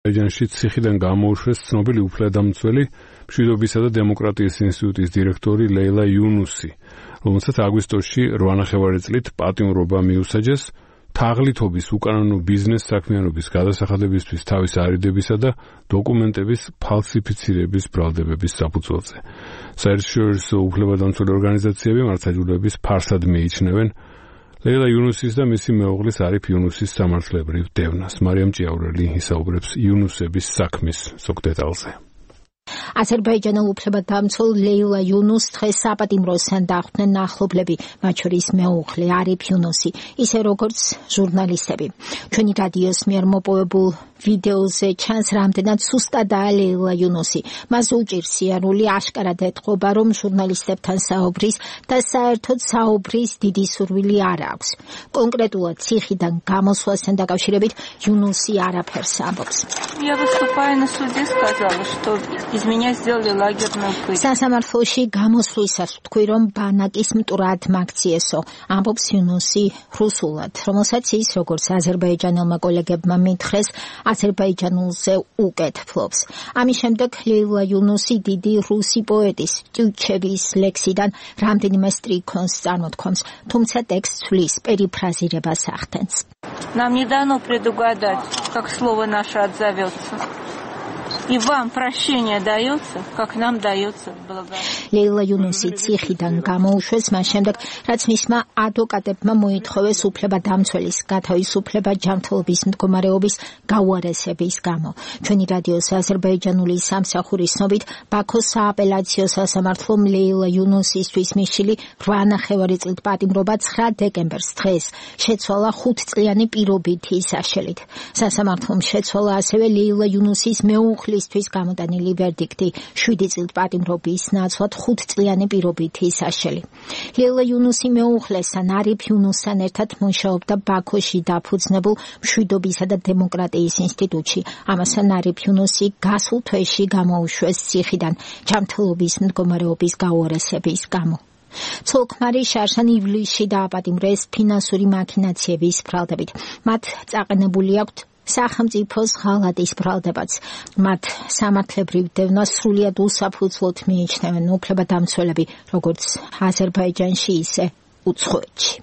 აზერბაიჯანში ციხიდან გამოუშვეს ცნობილი უფლებადამცველი მშვიდობისა და დემოკრატიის ინსტიტუტის დირექტორი ლეილა იუნუსი, რომელსაც აგვისტოში 8 წლით პატიმრობა მიუსაჯეს თაღლითობის უკანონო ბიზნეს საქმიანობის გადასახადებისთვის თავის არიდებისა და დოკუმენტების ფალსიფიცირების ბრალდებების საფუძველზე. საერთაშორისო უფლებადამცველი ორგანიზაციები მართლმსაჯულების ფარსად მიიჩნევენ ლეილა იუნუსის და მისი მეუღლის არიფ იუნუსის სამართლებრივ დევნას. მარიამ ჭიაურელი ისაუბრებს იუნუსების საქმის ზოგ დეტალზე. აზერბაიჯანელ უფლებადამცველ ლეილა იუნუს დღეს საპატიმროსთან დახვდნენ ახლობლები, მათ შორის მეუღლე არიფ იუნუსი, ისე როგორც ჟურნალისტები. ჩვენი რადიოს მიერ მოპოვებულ ვიდეოზე ჩანს რამდენად სუსტადაა ლეილა იუნუსი. მას უჭირს სიარული, აშკარად ეთყობა, რომ ჟურნალისტებთან საუბრის და საერთოდ საუბრის დიდი სურვილი არ აქვს. კონკრეტულად ციხიდან გამოსვლასთან დაკავშირებით იუნუსი არაფერს ამბობს. სასამართლოში გამოსვლისას ვთქვი, რომ ბანაკის მტრად მაგციესო, ამბობს იუნუსი რუსულად, რომელსაც ის, როგორც აზერბაიჯანელმა კოლეგებმა მითხრეს, აზერბაიჯანულზე უკეთ ფლობს. ამის შემდეგ ლეილა იუნუსი დიდი რუსი პოეტის ტიუჩევის ლექსიდან რამდენიმე სტრიქონს წარმოთქვამს, თუმცა ტექსტს ცვლის, перефразировать ახდენს. Нам не дано предугадать, как слово наше отзовется. И вам прощение дается, как нам дается благодарность. ლეილა იუნუსი ციხიდან გამოუშვეს მას შემდეგ, რაც მისმა ადვოკატებმა მოითხოვეს უფლებადამცველის გათავისუფლება ჯანმრთელობის მდგომარეობის გაუარესების გამო. ჩვენი რადიოს აზერბაიჯანული სამსახურის ცნობით, ბაქოს სააპელაციო სასამართლომ ლეილა იუნუსისთვის მისული 8 წლით პატიმრობა 9 დეკემბერს დღეს შეცვალა 5 წლიანი პირობითი საშელით. სასამართლომ შეცვალა ასევე ლეილა იუნუსის მეუღლისთვის გამოტანილი ვერდიქტი 7 წლით პატიმრობის ნაცვლად 5 წლიანი პირობითი საშელი. ლეილა იუნუსი მეუღლესთან არიფ იუნუსთან ერთად მუშაობდა ბაქოში დაფუძნებულ მშვიდობისა და დემოკრატიის ინსტიტუტში. ამასთან არიფ იუნუსი გასულ თვეში გამოუშვეს ციხიდან ჯანმრთელობის მდგომარეობის გაუარესების გამო. ცოლ-ქმარი შარშან ივლისში დააპატიმრეს ფინანსური მაქინაციების ბრალდებით. მათ წაყენებული აქვთ სახელმწიფოს ღალატის ბრალდებაც. მათ სამართლებრივ დევნას სრულიად უსაფუძვლოდ მიიჩნევენ უფლებადამცველები, როგორც აზერბაიჯანში, ისე უცხოეთში.